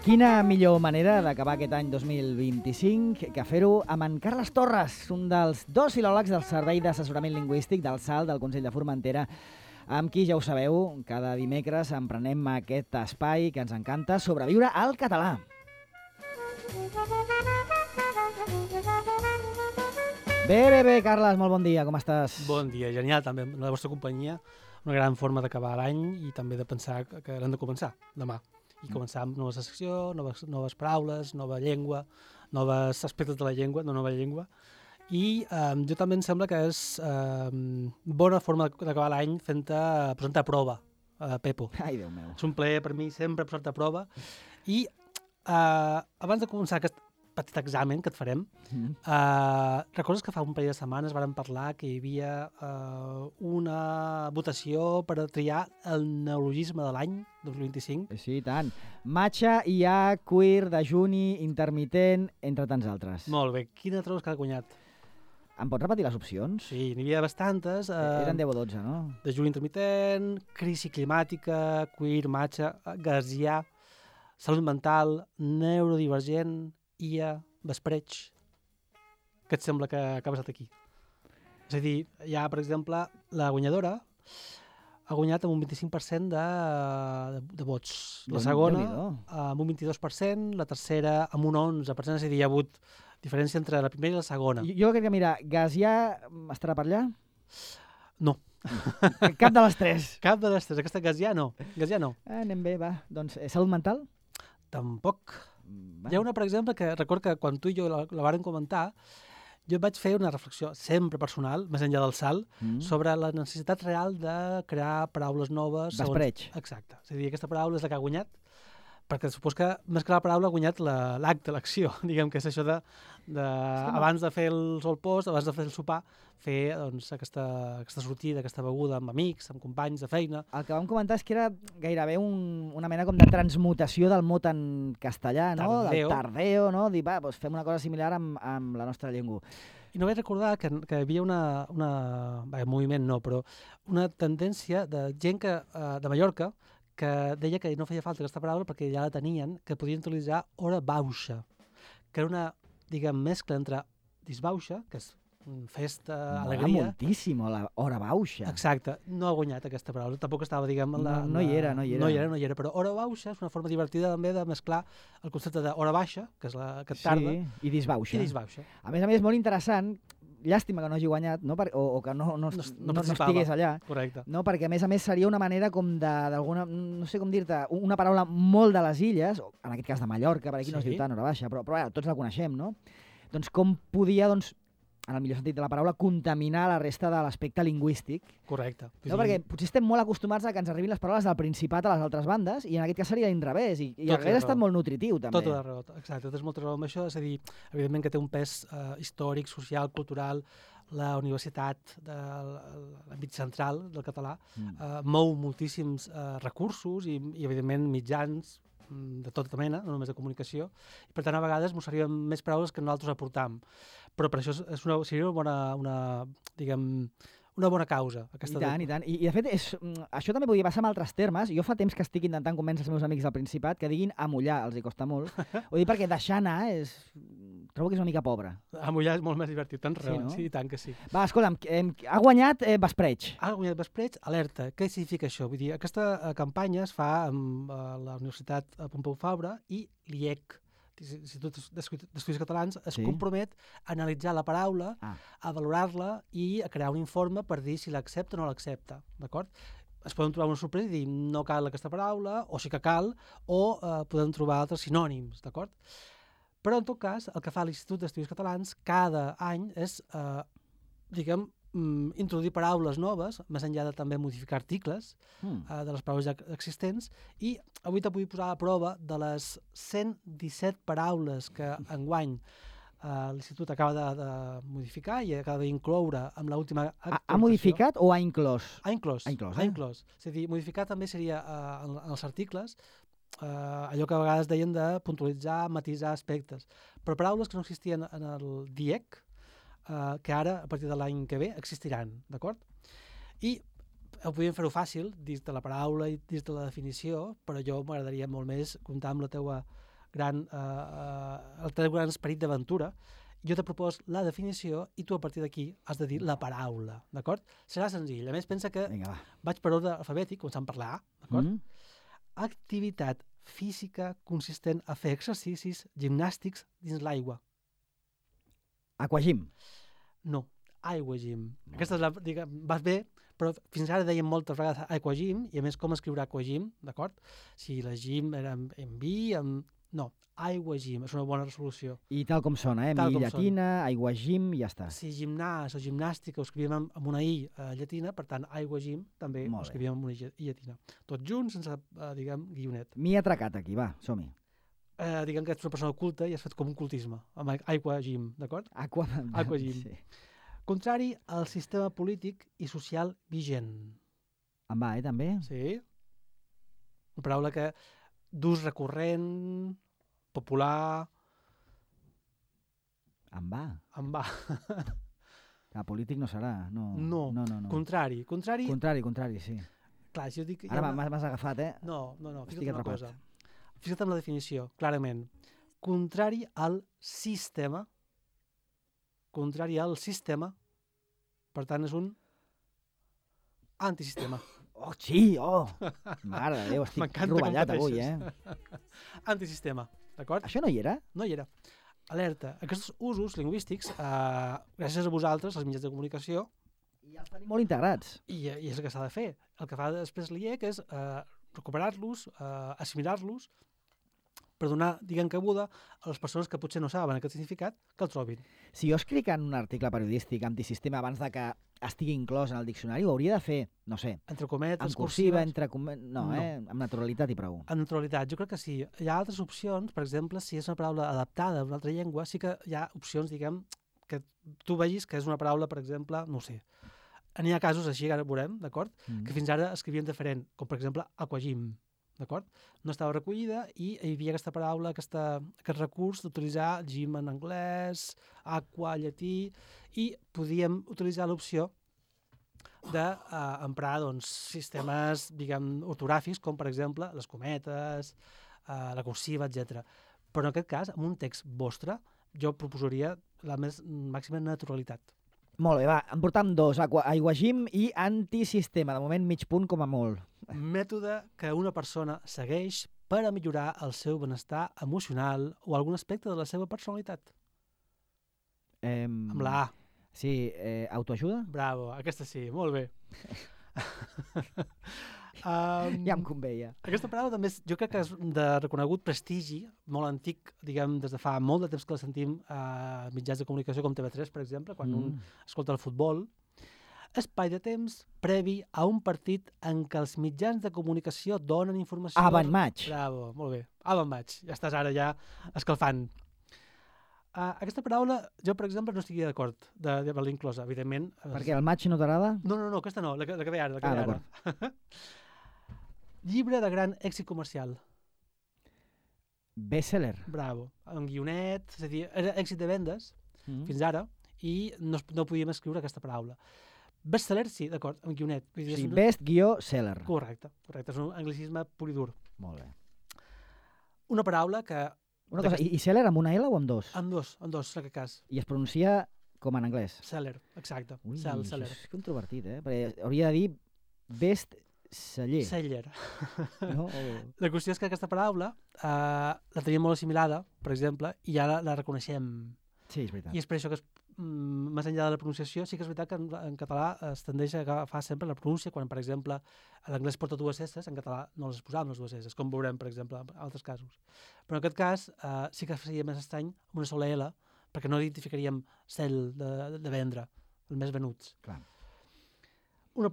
Quina millor manera d'acabar aquest any 2025 que fer-ho amb en Carles Torres, un dels 2 filòlegs del Servei d'Assessorament Lingüístic del SAL del Consell de Formentera, amb qui, ja ho sabeu, cada dimecres emprenem aquest espai que ens encanta, Sobreviure al català. Bé, Carles, molt bon dia, com estàs? Bon dia, genial, també, en la vostra companyia, una gran forma d'acabar l'any i també de pensar que l'hem de començar demà. I començar amb nova secció, noves paraules, nova llengua, nous aspectes de la llengua, no nova llengua. I jo també em sembla que és bona forma d'acabar l'any posant-te a prova, Pepo. Ai, Déu meu. És un plaer per mi sempre posar-te a prova. I abans de començar aquest petit examen que et farem, recordes que fa un parell de setmanes vàrem parlar que hi havia una votació per triar el neologisme de l'any 2025? Sí, i tant. Matxa, IA, queer, dejuni, intermitent, entre tants altres. Molt bé. Quina trobes que ha guanyat? Em pots repetir les opcions? Sí, n'hi havia bastantes. Eren 10 o 12, no? Dejuni intermitent, crisi climàtica, queer, matxa, gazià, salut mental, neurodivergent, IA, vespreig. Què et sembla que ha passat aquí? És a dir, hi ha, per exemple, la guanyadora ha guanyat amb un 25% de vots. La segona amb un 22%, la tercera amb un 11%, és a dir, hi ha hagut diferència entre la primera i la segona. Jo crec que, mira, Gazià estarà per allà? No. Cap de les tres. Cap de les tres. Aquesta Gazià no. Gazià no. Anem bé, va. Doncs salut mental? Tampoc. Hi ha una, per exemple, que recordo que quan tu i jo la vàrem comentar, jo vaig fer una reflexió sempre personal, més enllà del SAL, sobre la necessitat real de crear paraules noves. Vespreig. Exacte. És a dir, aquesta paraula és la que ha guanyat, perquè supos que més que la paraula ha guanyat l'acte, l'acció. Diguem que és això de abans de fer el solpost, abans de fer el sopar, fer doncs, aquesta sortida, aquesta beguda amb amics, amb companys de feina. El que vam comentar és que era gairebé una mena com de transmutació del mot en castellà, no? Tardeo. Del tardeo, no? Dir, va, doncs fem una cosa similar amb la nostra llengua. I no vaig recordar que hi havia un moviment no, però una tendència de gent de Mallorca que deia que no feia falta aquesta paraula perquè ja la tenien, que podien utilitzar hora bauxa, que era una, diguem, mescla entre disbauxa, que és festa, alegria... Moltíssim, la hora bauxa. Exacte, no ha guanyat aquesta paraula, tampoc estava, diguem... No hi era. No hi era, però hora bauxa és una forma divertida també de mesclar el concepte d'hora baixa, que és la que tarda, i disbauxa. A més, molt interessant, llàstima que no hagi guanyat, no? O que no estigués allà. Correcte. No? Perquè, a més, seria una manera com d'alguna, no sé com dir-te, una paraula molt de les illes, en aquest cas de Mallorca, per aquí no es diu tant hora baixa, però tots la coneixem, no? Doncs com podia, en el millor sentit de la paraula, contaminar la resta de l'aspecte lingüístic. Correcte. No, perquè potser estem molt acostumats a que ens arribin les paraules del Principat a les altres bandes, i en aquest cas seria l'inrevés, i hauria estat molt nutritiu, també. Tot la raó, exacte, tens molta raó amb això, és a dir, evidentment que té un pes històric, social, cultural, la universitat de l'àmbit central del català mou moltíssims recursos i evidentment mitjans de tota mena, no només de comunicació, i per tant a vegades ens serien més paraules que nosaltres aportam. Però per això seria una bona causa. I tant. I de fet, això també podria passar amb altres termes. Jo fa temps que estic intentant convèncer els meus amics del Principat que diguin amollar, els hi costa molt. Ho dic perquè deixar anar trobo que és una mica pobre. Amollar és molt més divertit, tens raó. No? Sí, tant que sí. Va, escolta'm, ha guanyat vespreig. Ha guanyat vespreig, alerta. Què significa això? Vull dir, aquesta campanya es fa amb la Universitat Pompeu Fabra i l'IEC, l'Institut d'Estudis Catalans, es compromet a analitzar la paraula, a valorar-la i a crear un informe per dir si l'accepta o no l'accepta, d'acord? Es poden trobar una sorpresa i dir no cal aquesta paraula, o sí que cal, o podem trobar altres sinònims, d'acord? Però, en tot cas, el que fa l'Institut d'Estudis Catalans cada any és, introduir paraules noves, més enllà de també modificar articles de les paraules ja existents, i avui te vull posar a prova de les 117 paraules que enguany l'Institut acaba de modificar i acaba d'incloure amb l'última actualització. Ha modificat o ha inclòs? Ha inclòs. És a dir, modificar també seria en els articles allò que a vegades deien de puntualitzar, matisar aspectes, però paraules que no existien en el DIEC, que ara, a partir de l'any que ve, existiran, d'acord? I podríem fer-ho fàcil, dins de la paraula i dins de la definició, però jo m'agradaria molt més comptar amb la teua el teu gran esperit d'aventura. Jo te propos la definició i tu a partir d'aquí has de dir la paraula, d'acord? Serà senzill. A més, pensa que vaig per ordre alfabètic, començant per la A, d'acord? Activitat física consistent a fer exercicis gimnàstics dins l'aigua. Aquagym. No, aigua-gym. Aquesta és la... vas bé, però fins ara dèiem moltes vegades aquagym, i a més com escriure aquagym, d'acord? Si la gym era en vi, no, aigua-gym, és una bona resolució. I tal com sona, mi llatina, aigua-gym, i ja està. Si gimnàs o gimnàstica ho escrivíem amb una i llatina, per tant, aigua-gym també ho escrivíem amb una i llatina. Tot junt, sense, guionet. M'hi he atracat aquí, va, som-hi. Diguem que ets una persona oculta i has fet com un cultisme, amb aquagym, d'acord? Aquagym. Sí. Contrari al sistema polític i social vigent. Em va, també? Sí. Una paraula que d'ús recurrent, popular... Em va. Em va. Polític no serà, no. No. Contrari, sí. Clar, si jo dic... Ara m'has agafat, No, fica't una cosa. Fica't en la definició, clarament. Contrari al sistema. Per tant, és un antisistema. Oh, sí, Mare de Déu, estic rovellat avui, Antisistema, d'acord? Això no hi era? No hi era. Alerta, aquests usos lingüístics, gràcies a vosaltres, als mitjans de comunicació... I els tenim molt integrats. I és el que s'ha de fer. El que fa després l'IEC és recuperar-los, assimilar-los, per donar, cabuda a les persones que potser no saben aquest significat, que el trobin. Si jo escric en un article periodístic antisistema abans de que estigui inclòs en el diccionari, ho hauria de fer, no sé, entre cometes, en cursiva, no, amb naturalitat i prou. En naturalitat, jo crec que sí. Hi ha altres opcions, per exemple, si és una paraula adaptada a una altra llengua, sí que hi ha opcions, que tu vegis que és una paraula, per exemple, no sé, n'hi ha casos així, ara veurem, d'acord? Que fins ara escrivien diferent, com per exemple aquagym, d'acord? No estava recollida i hi havia aquesta paraula, aquest recurs d'utilitzar gym en anglès, aqua, llatí, i podíem utilitzar l'opció d'emprar sistemes, ortogràfics, com per exemple les cometes, la cursiva, etc. Però en aquest cas, en un text vostre, jo proposaria la màxima naturalitat. Molt bé, va, en portam dos, aiguagym i antisistema, de moment mig punt com a molt. Mètode que una persona segueix per a millorar el seu benestar emocional o algun aspecte de la seva personalitat. Amb la A. Sí, autoajuda? Bravo, aquesta sí, molt bé. Ja em conveia. Aquesta paraula també jo crec que és de reconegut prestigi, molt antic, des de fa molt de temps que la sentim a mitjans de comunicació com TV3, per exemple, quan un escolta el futbol. Espai de temps previ a un partit en què els mitjans de comunicació donen informació... Avant-match. Bravo, molt bé. Avant-match. Ja estàs ara ja escalfant. Aquesta paraula, jo, per exemple, no estic d'acord d'haver-la inclosa, evidentment. Perquè el match no t'agrada? No, aquesta no, la que ve ara. D'acord. Llibre de gran èxit comercial. Bestseller. Bravo. En guionet, és a dir, era èxit de vendes, fins ara, i no podíem escriure aquesta paraula. Bestseller, sí, d'acord, en guionet. Sí, best-seller. Correcte, és un anglicisme pur i dur. Molt bé. Una paraula que... Una cosa, i seller amb una L o amb dos? Amb dos, en aquest cas. I es pronuncia com en anglès? Seller, exacte. Ui, seller. És controvertit, perquè hauria de dir best-seller. Seller. No? La qüestió és que aquesta paraula la teníem molt assimilada, per exemple, i ara la reconeixem. Sí, és veritat. I és per això que més enllà de la pronunciació, sí que és veritat que en català es tendeix a agafar sempre la pronúncia, quan, per exemple, l'anglès porta dues S, en català no les posàvem les dues S, com veurem, per exemple, en altres casos. Però en aquest cas sí que seria més estrany amb una sola L, perquè no identificaríem cel de vendre, els més venuts. Clar. Una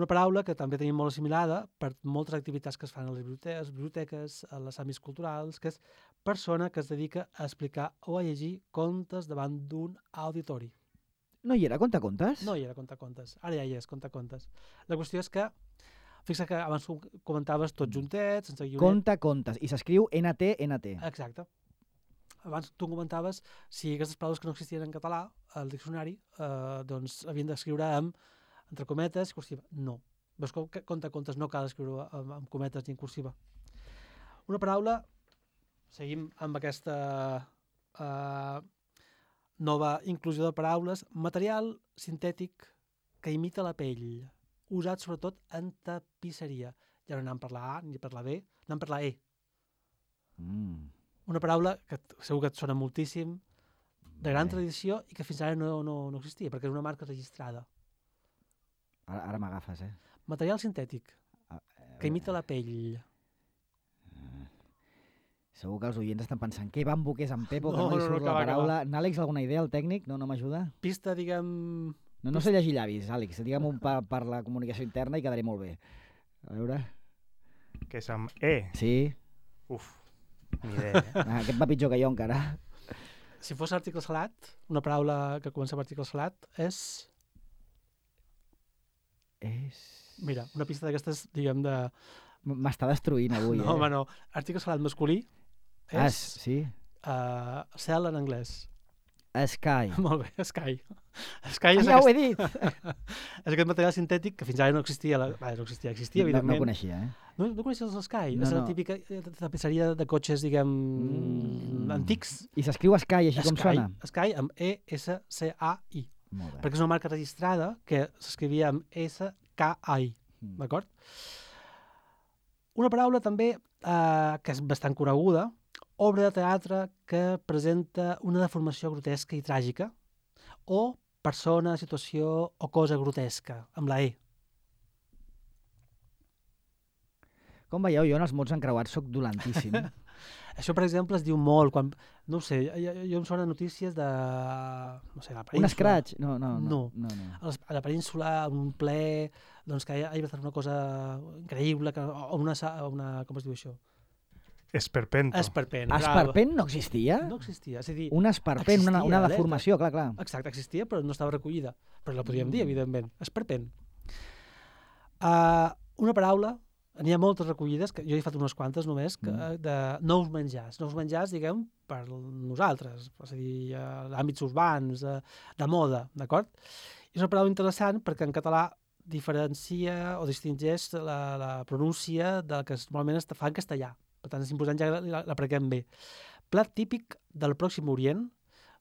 paraula que també tenim molt assimilada per moltes activitats que es fan a les biblioteques, a les àmbits culturals, que és persona que es dedica a explicar o a llegir contes davant d'un auditori. No hi era contacontes? No hi era contacontes. Ara ja hi és contacontes. La qüestió és que, fixa que abans comentaves tots juntets, sense guionet. Contacontes. I s'escriu NT. Exacte. Abans tu comentaves si aquestes paraules que no existien en català, al diccionari, doncs havien d'escriure amb entre cometes, cursiva. No. Veus com contes no cal escriure amb cometes ni en cursiva. Una paraula, seguim amb aquesta nova inclusió de paraules, material sintètic que imita la pell, usat sobretot en tapisseria. Ja no anem per la A ni per la B, anem per la E. Una paraula que segur que et sona moltíssim, de gran tradició i que fins ara no existia, perquè és una marca registrada. Ara m'agafes, Material sintètic, que imita la pell. Segur que els oients estan pensant què bambo que és en Pepo, que no li surt la paraula. N'Àlex, alguna idea, el tècnic? No m'ajuda? Pista, diguem... No sé llegir llavis, Àlex. Digue'm per la comunicació interna i quedaré molt bé. A veure... Que és amb E? Sí. Uf, ni idea, Aquest va pitjor que jo, encara. Si fos article salat, una paraula que comença amb article salat és... Mira, una pista d'aquestes, diguem, de... M'està destruint avui, No, home, no. Article salat masculí és... Sí. Cel en anglès. Sky. Molt bé, Sky. Sky és ja ho he dit! És aquest material sintètic que fins ara no existia. Existia, evidentment. No coneixia, No coneixies el Sky? No, és la típica tapisseria de cotxes, diguem, antics. I s'escriu Sky, així com sona? Sky amb E-S-C-A-I. Molt bé. Perquè és una marca registrada que s'escrivia amb S-K-I. D'acord? Una paraula també que és bastant coneguda, obra de teatre que presenta una deformació grotesca i tràgica o persona, situació o cosa grotesca, amb la E. Com veieu, jo en els mots encreuats soc dolentíssim. Això, per exemple, es diu molt quan... No ho sé, jo em sona notícies de... No sé, la península... Un escratx? No. A la península, un ple, doncs que hi ha passat una cosa increïble, o una... Com es diu això? Esperpento. Esperpent no existia? No existia, és a dir... Un esperpent, una deformació, clar. Exacte, existia, però no estava recollida. Però la podríem dir, evidentment. Esperpent. Una paraula, n'hi ha moltes recollides, que jo he fet unes quantes només, de nous menjars. Nous menjars, diguem, per nosaltres, és a dir, d'àmbits urbans, de moda, d'acord? És una paraula interessant perquè en català diferencia o distingeix la pronúncia del que normalment es fa en castellà. Per tant, és important, ja l'aprequem bé. Plat típic del Pròxim Orient,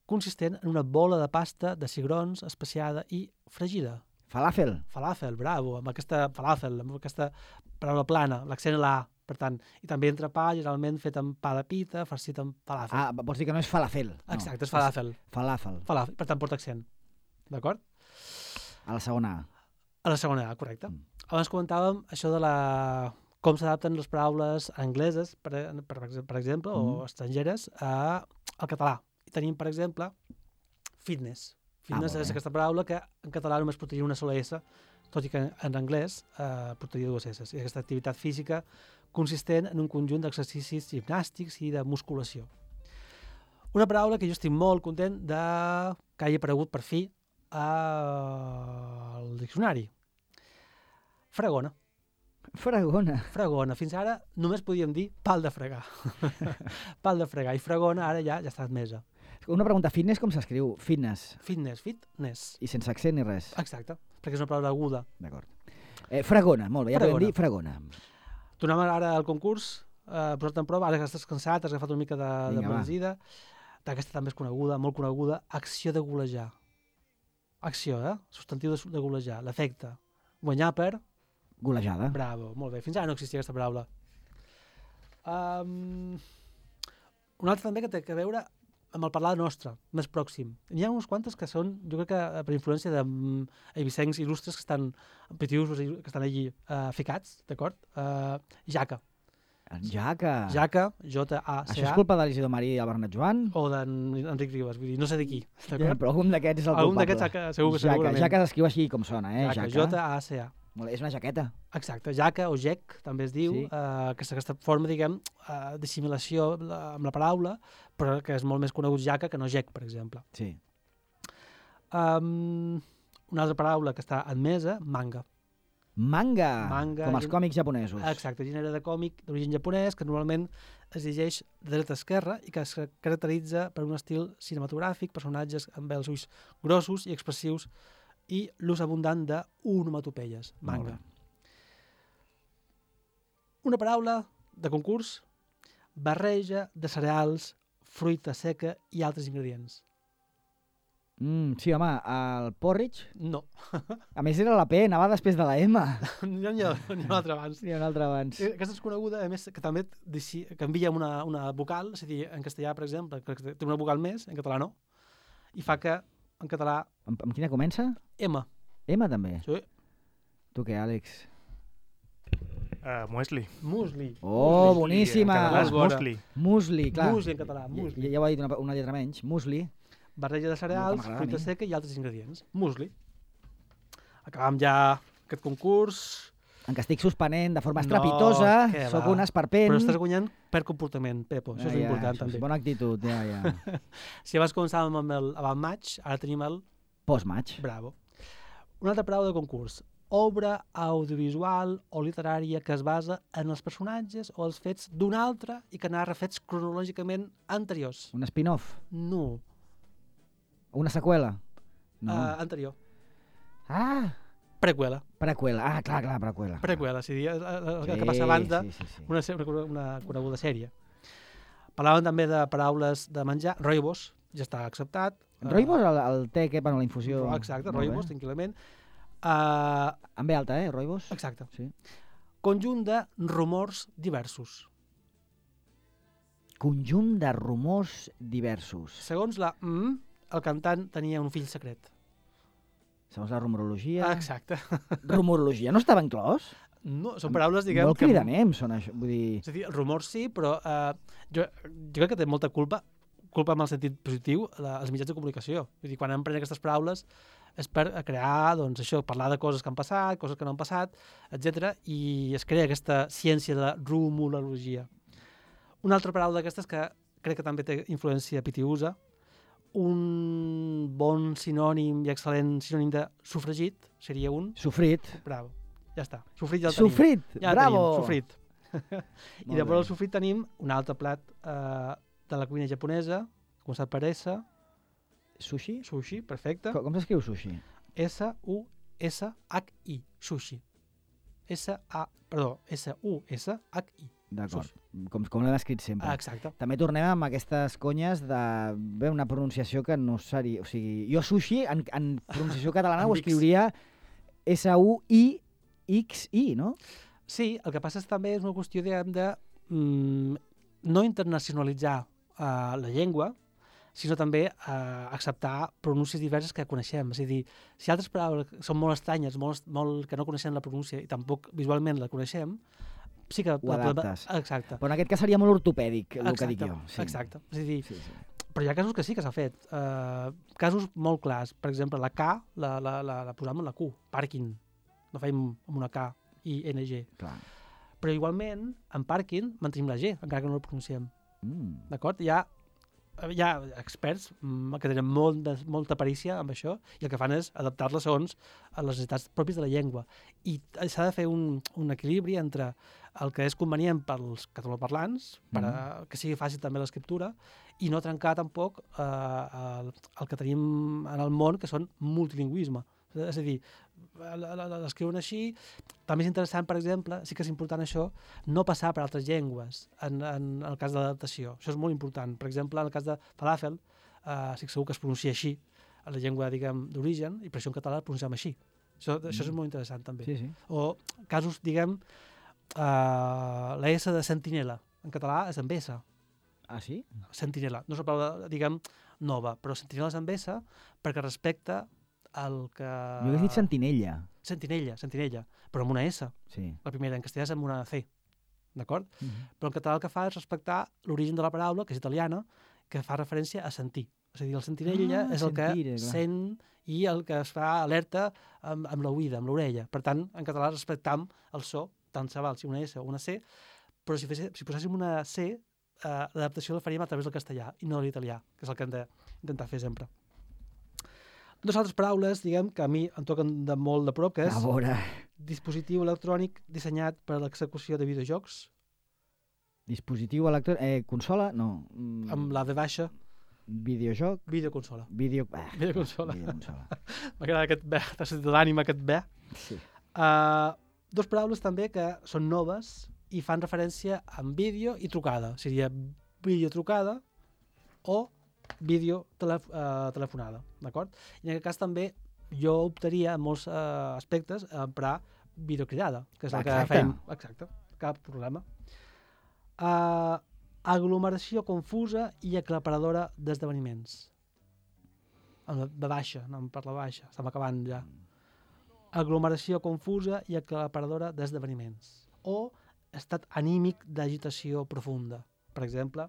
consistent en una bola de pasta de cigrons especiada i fregida. Falafel. Falafel, bravo, amb aquesta paraula plana, l'accent a la A, per tant. I també entrepà, generalment fet amb pa de pita, farcit amb falafel. Vols dir que no és falafel? Exacte, és falafel. Falafel. Per tant, porta accent. D'acord? A la segona A. A la segona A, correcte. Abans comentàvem això de com s'adapten les paraules angleses, per exemple, o estrangeres, al català. I tenim, per exemple, fitness. Fitness és aquesta paraula que en català només portaria una sola S, tot i que en anglès portaria dues S. I aquesta activitat física consistent en un conjunt d'exercicis gimnàstics i de musculació. Una paraula que jo estic molt content que hagi aparegut per fi al diccionari. Fregona. Fregona. Fins ara només podíem dir pal de fregar. Pal de fregar. I fregona ara ja està admesa. Una pregunta, fitness com s'escriu? Fitness. Fitness. I sense accent ni res? Exacte, perquè és una paraula aguda. D'acord. Fregona, molt bé, ja podem dir fregona. Tornem ara al concurs, posat en prova, ara que estàs cansat, has agafat una mica de benzida. Aquesta també és coneguda, molt coneguda, acció de golejar. Acció, substantiu de golejar, l'efecte. Guanyar per... Golejada. Bravo, molt bé. Fins ara no existia aquesta paraula. Una altra també que té a veure amb el parlar nostre, més pròxim. N'hi ha uns quantes que són, jo crec que per influència d'eivissencs il·lustres que estan petius, que estan allí ficats, d'acord? Jaca. Jaca, J-A-C-A. Això és culpa de l'Isidor Marí i el Bernat Joan? O d'Enric Ribas, vull dir, no sé de qui. Però algun d'aquests és el culpable. Algun d'aquests segurament. Jaca s'escriu així com sona, Jaca, J-A-C-A. És una jaqueta. Exacte, jaca o gec, també es diu, que és aquesta forma, diguem, d'assimilació amb la paraula, però que és molt més conegut jaca que no gec, per exemple. Sí. Una altra paraula que està admesa, manga. Manga, com els còmics japonesos. Exacte, gènere de còmic d'origen japonès que normalment es llegeix de dreta a esquerra i que es caracteritza per un estil cinematogràfic, personatges amb els ulls grossos i expressius i l'ús abundant d'onomatopeies, manga. Una paraula de concurs, barreja de cereals, fruita seca i altres ingredients. Sí, home, el porridge, No. a més era la P, anava després de la M. N'hi ha un altre abans. N'hi ha un altre abans. Aquesta és coneguda, a més, que també canvia una vocal, és a dir, en castellà, per exemple, que té una vocal més, en català no, i fa que, en català... Amb quina comença? M. M, també? Sí. Tu què, Àlex? Muesli. Musli. Oh, boníssima! En català és Bona. musli. Musli, clar. Musli en català, musli. Ja ho ha dit una lletra menys. Musli. Barreja de cereals, m'agrada a fruita mi. seca i altres ingredients. Musli. Acabam ja aquest concurs, En què estic suspenent de forma No, estrepitosa, què sóc va. un esperpent. però estàs guanyant per comportament, Pepo. Això és important, això també. és bona actitud, ja. Si abans començàvem amb el avant-match, ara tenim el Post-match. bravo. Una altra paraula de concurs. Obra audiovisual o literària que es basa en els personatges o els fets d'un altre i que narra fets cronològicament anteriors. Un spin-off. No. Una seqüela. No. Anterior. Ah, Preqüela. preqüela. Ah, clar, preqüela. Preqüela, és a dir, el que passa abans de Sí. una coneguda sèrie. Parlàvem també de paraules de menjar. Rooibos, ja està acceptat. Rooibos, el té que per la infusió. Exacte, Molt bé. rooibos, tranquil·lament. En B alta, rooibos? Exacte. Sí. Conjunt de rumors diversos. Conjunt de rumors diversos. Segons la el cantant tenia un fill secret. Segons la rumorologia... Exacte. Rumorologia no estava inclòs? No, són paraules, diguem... Molt cridanems són això. Vull dir... És a dir, els rumors sí, però jo crec que té molta culpa en el sentit positiu, els mitjans de comunicació. Vull dir, quan empren aquestes paraules és per crear, doncs, això, parlar de coses que han passat, coses que no han passat, etc. I es crea aquesta ciència de la rumorologia. Una altra paraula d'aquestes que crec que també té influència pitiusa, un bon sinònim i excel·lent sinònim de sofregit seria un... Sofrit. Bravo, ja està. Sofrit ja el tenim. Sofrit, Ja el bravo! tenim, sofrit. I Molt després bé. del sofrit tenim un altre plat de la cuina japonesa, començat per S, Sushi? sushi, perfecte. Com s'escriu sushi? S-U-S-H-I, sushi. S-U-S-H-I. D'acord. Com l'hem escrit sempre. Exacte. També tornem amb aquestes conyes de una pronunciació que no seria... O sigui, jo sushi, en pronunciació catalana, ho Amb X. escriuria S-U-I-X-I, no? Sí, el que passa és també és una qüestió de no internacionalitzar la llengua, sinó també acceptar pronúncies diverses que coneixem. És a dir, si altres paraules són molt estranyes, molt que no coneixem la pronúncia i tampoc visualment la coneixem, sí que... Ho adaptes. Exacte. Però en aquest cas seria molt ortopèdic, el que dic jo. Sí. Exacte. És a dir, Sí, sí. però hi ha casos que sí que s'ha fet. Casos molt clars. Per exemple, la K la posam amb la Q. Parking. No fem amb una K i NG. Clar. Però igualment, en parking, mantenim la G, encara que no la pronunciem. D'acord? Hi ha experts que tenen molta perícia amb això i el que fan és adaptar-la segons a les necessitats pròpies de la llengua. I s'ha de fer un equilibri entre el que és convenient pels catalanoparlants, que sigui fàcil també l'escriptura, i no trencar tampoc el que tenim en el món, que són multilingüisme. És a dir, l'escriuen així. També és interessant, per exemple, sí que és important això, no passar per altres llengües en el cas de l'adaptació. Això és molt important. Per exemple, en el cas de falàfel, estic segur que es pronuncia així, en la llengua, diguem, d'origen, i per això en català el pronunciem així. Això és molt interessant, també. Sí, sí. O casos, diguem, la S de sentinela. En català és amb S. Ah, sí? Sentinela. No és una paraula, diguem, nova, però sentinela és amb S perquè respecta el que... Jo hauria dit sentinella. Sentinella, però amb una S. Sí. La primera, en castellà és amb una C, d'acord? Però en català el que fa és respectar l'origen de la paraula, que és italiana, que fa referència a sentir. És a dir, el sentinella és el que sent i el que es fa alerta amb l'oïda, amb l'orella. Per tant, en català respectam el so, tant se val si una S o una C, però si poséssim una C, l'adaptació la faríem a través del castellà i no de l'italià, que és el que hem d'intentar fer sempre. Dues altres paraules, diguem, que a mi em toquen de molt de prop, que és A veure... dispositiu electrònic dissenyat per a l'execució de videojocs. Dispositiu electrònic... Consola? No. Amb la V baixa. Videojoc? Videoconsola. Videoconsola. M'agrada aquest B, t'ha sentit l'ànima, aquest B. Sí. Dos paraules també que són noves i fan referència en vídeo i trucada. Seria videotrucada o videotelefonada, d'acord? I en aquest cas també jo optaria en molts aspectes a emprar videocridada, que és el que fem. Exacte, cap problema. Aglomeració confusa i aclaparadora d'esdeveniments. De baixa, anem per la baixa, estem acabant ja. Aglomeració confusa i aclaparadora d'esdeveniments. O estat anímic d'agitació profunda. Per exemple,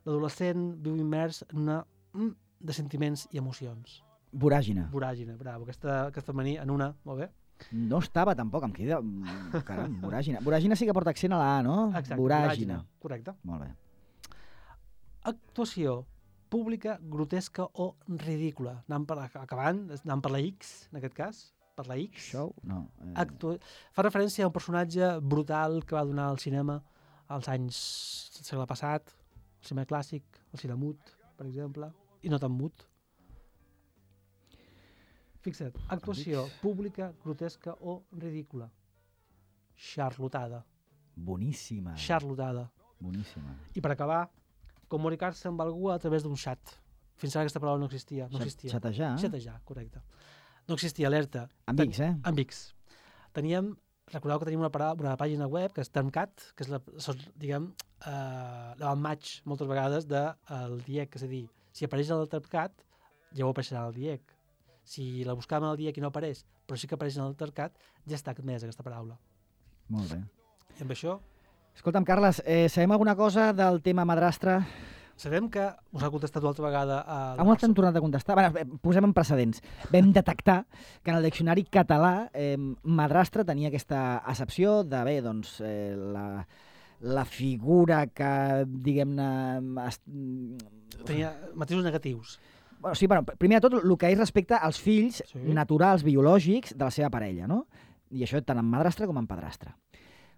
l'adolescent viu immers en una de sentiments i emocions. Voràgina. Voràgina, bravo. Aquesta mania en una, molt bé. No estava tampoc, em crida... Caram, voràgina. Voràgina sí que porta accent a la A, no? Exacte, voràgina. Correcte. Molt bé. Actuació pública, grotesca o ridícula. Acabant, anem per la X, en aquest cas. Per la X. Show? No. Fa referència a un personatge brutal que va donar al cinema als anys del segle passat, el cinema clàssic, el cine mut, per exemple, i no tan mut. Fixa't, actuació pública, grotesca o ridícula. Xarlotada. Boníssima. Xarlotada. Boníssima. I per acabar, comunicar-se amb algú a través d'un xat. Fins ara aquesta paraula no existia. Xatejar? Xatejar, correcte. No existia, alerta. Amb X, Amb X. Recordeu que tenim una pàgina web que és Termcat, que és, diguem, l'avantmatch moltes vegades del DIEC. És a dir, si apareix el Termcat, ja ho apareixerà el DIEC. Si la buscàvem al DIEC i no apareix, però sí que apareix en el Termcat, ja està admesa aquesta paraula. Molt bé. I amb això... Escolta'm, Carles, sabem alguna cosa del tema madrastre? Sabem que us ha contestat una altra vegada... On t'han tornat a contestar? Posem en precedents. Vam detectar que en el diccionari català madrastre tenia aquesta accepció de, bé, doncs, la figura que, diguem-ne... Tenia matisos negatius. Bueno, sí, bueno, primer de tot, el que és respecte als fills naturals, biològics, de la seva parella, no? I això tant en madrastre com en padrastre.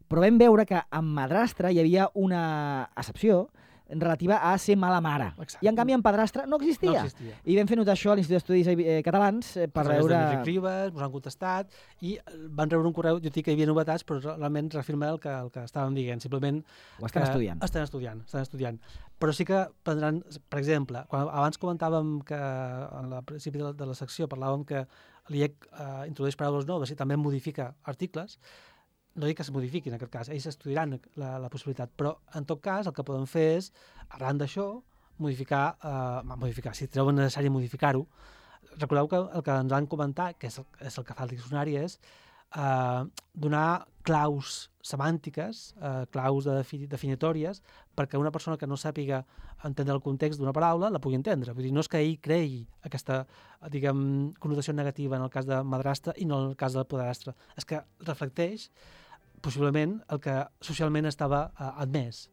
Però vam veure que en madrastre hi havia una accepció relativa a ser mala mare. Exacte. I en canvi en padrastre no existia. No existia. I vam fer notar això a l'Institut d'Estudis Catalans per veure... Els Ribes, ens han contestat i van rebre un correu, jo dic que hi havia novetats, però realment reafirma el que estàvem dient. Simplement ho estan estudiant. Estan estudiant. Però sí que prendran, per exemple, abans comentàvem que al principi de la secció parlàvem que l'IEC introdueix paraules noves i també modifica articles. No dic que es modifiqui en aquest cas, ells estudiaran la possibilitat, però en tot cas el que podem fer és, arran d'això, modificar, si troben necessari modificar-ho. Recordeu que el que ens van comentar, que és el que fa el diccionari, és donar claus semàntiques, claus definitòries, perquè una persona que no sàpiga entendre el context d'una paraula la pugui entendre. Vull dir, no és que ell creï aquesta, diguem, connotació negativa en el cas de madrastre i no en el cas del padrastre. És que reflecteix possiblement el que socialment estava admès.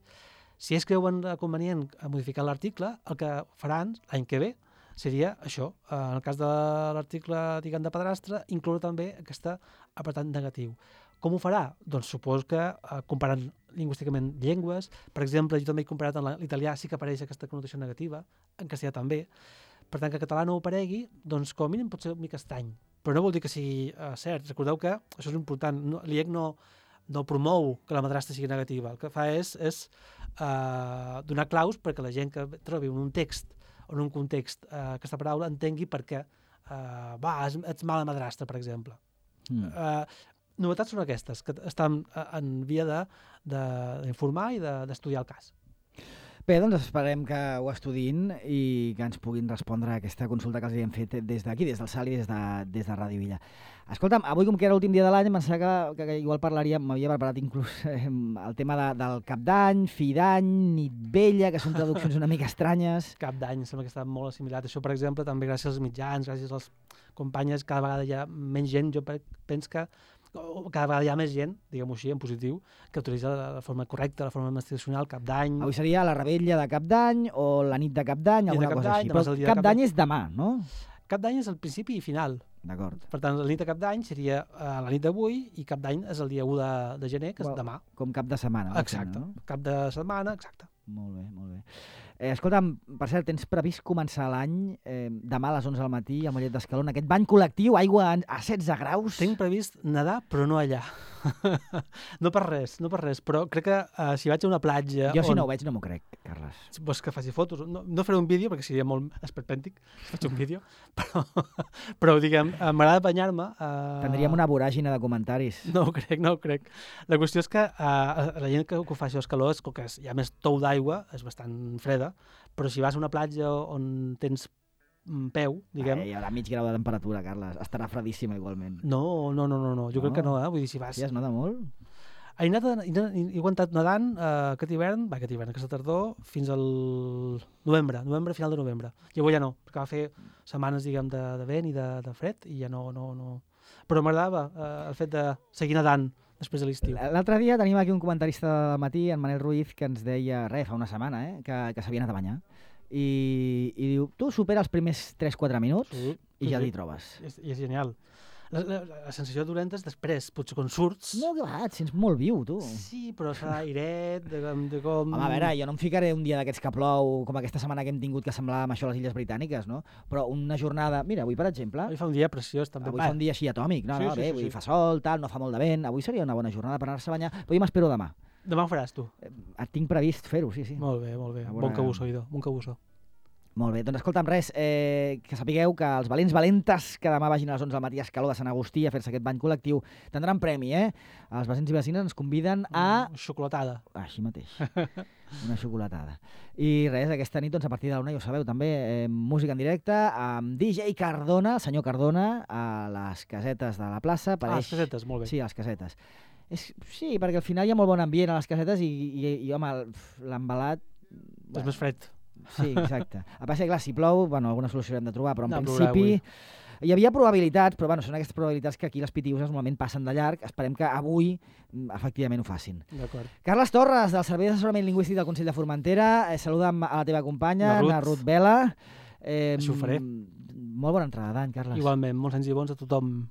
Si ells creuen convenient modificar l'article, el que faran l'any que ve seria això. En el cas de l'article, diguem, de padrastre, incloure també aquest apartat negatiu. Com ho farà? Doncs suposo que comparant lingüísticament llengües, per exemple, jo també he comparat en l'italià, sí que apareix aquesta connotació negativa, en castellà també, per tant que en català no ho aparegui, doncs com a mínim pot ser un mica estrany, però no vol dir que sigui cert. Recordeu que això és important, l'IEC no promou que la madrastra sigui negativa, el que fa és donar claus perquè la gent que trobi en un text o en un context aquesta paraula entengui per què ets mala madrastra, per exemple. Novetats són aquestes, que estan en via d'informar i d'estudiar el cas. Bé, doncs esperem que ho estudiïn i que ens puguin respondre a aquesta consulta que els hem fet des d'aquí, des del SAL i des de Ràdio Villa. Escolta'm, avui com que era l'últim dia de l'any, em pensava que igual m'havia preparat inclús el tema del Cap d'Any, Fi d'Any, Nit Vella, que són traduccions una mica estranyes. Cap d'Any, sembla que està molt assimilat. Això, per exemple, també gràcies als mitjans, gràcies als companyes, cada vegada hi ha menys gent, jo penso que cada vegada hi ha més gent, diguem-ho així, en positiu, que utilitza la forma correcta, la forma institucional, Cap d'Any. Avui seria la rebella de Cap d'Any o la nit de Cap d'Any, alguna cosa així. Però Cap d'Any és demà, no? Cap d'Any és el principi i final. D'acord. Per tant, la nit de Cap d'Any seria la nit d'avui i Cap d'Any és el dia 1 de gener, que és demà. Com cap de setmana. Exacte, cap de setmana, exacte. Molt bé, molt bé. Escolta'm, per cert, tens previst començar l'any demà a les 11 del matí a Mollet d'Escaló, en aquest bany col·lectiu, aigua a 16 graus? Tinc previst nedar, però no allà. No per res, però crec que si vaig a una platja... Jo, si no ho veig, no m'ho crec, Carles. Vols que faci fotos? No faré un vídeo, perquè seria molt esperpèntic si faig un vídeo, però diguem, m'agrada banyar-me... Tindríem una voràgina de comentaris. No ho crec. La qüestió és que la gent que ho fa això a Escaló és que hi ha més tou d'aigua, és bastant freda, però si vas a una platja on tens peu, diguem... Hi haurà mig grau de temperatura, Carles. Estarà fredíssima igualment. No. Jo crec que no, Vull dir, si vas... Sí, es nota molt? He aguantat nedant aquest hivern, aquesta tardor, fins al novembre, final de novembre. I avui ja no, perquè va fer setmanes, diguem, de vent i de fred, i ja no. Però m'agradava el fet de seguir nedant després de l'estiu. L'altre dia tenim aquí un comentarista del matí, en Manel Ruiz, que ens deia, fa una setmana, que s'havia anat a banyar. I diu, tu supera els primers 3-4 minuts i ja t'hi trobes. I és genial. La sensació dolenta és després, potser quan surts... No, que va, et sents molt viu, tu. Sí, però serà airet, de com... Home, a veure, jo no em ficaré un dia d'aquests que plou, com aquesta setmana que hem tingut que semblava amb això a les Illes Britàniques, no? Però una jornada... Mira, avui, per exemple... Avui fa un dia preciós, també. Avui fa un dia així atòmic, no? Bé, avui fa sol, tal, no fa molt de vent. Avui seria una bona jornada per anar-se a banyar, però jo m'espero demà. Demà ho faràs, tu? Tinc previst fer-ho, sí. Molt bé. Bon cabusso, Ido, bon cabusso. Molt bé, doncs escolta'm res, que sapigueu que els valents valentes que demà vagin a les 11 del matí a Escaló de Sant Agustí a fer-se aquest bany col·lectiu tindran premi, Els vecins i vecines ens conviden a... Xocolatada. Així mateix, una xocolatada. I res, aquesta nit, doncs, a partir de la 1, ja ho sabeu, també, música en directe amb DJ Cardona, el senyor Cardona, a les casetes de la plaça. Les casetes, molt bé. Sí, a les casetes. Sí, perquè al final hi ha molt bon ambient a les casetes i home, l'embalat... És més fred. Sí, exacte. A part, clar, si plou, alguna solució hem de trobar, però en principi hi havia probabilitats, però són aquestes probabilitats que aquí les pitiuses normalment passen de llarg. Esperem que avui efectivament ho facin. D'acord. Carles Torres, del Servei d'Assessorament Lingüístic del Consell de Formentera, saluda'm a la teva companya, la Ruth Vela. Això ho faré. Molt bona entrada d'any, Carles. Igualment, molts anys i bons a tothom.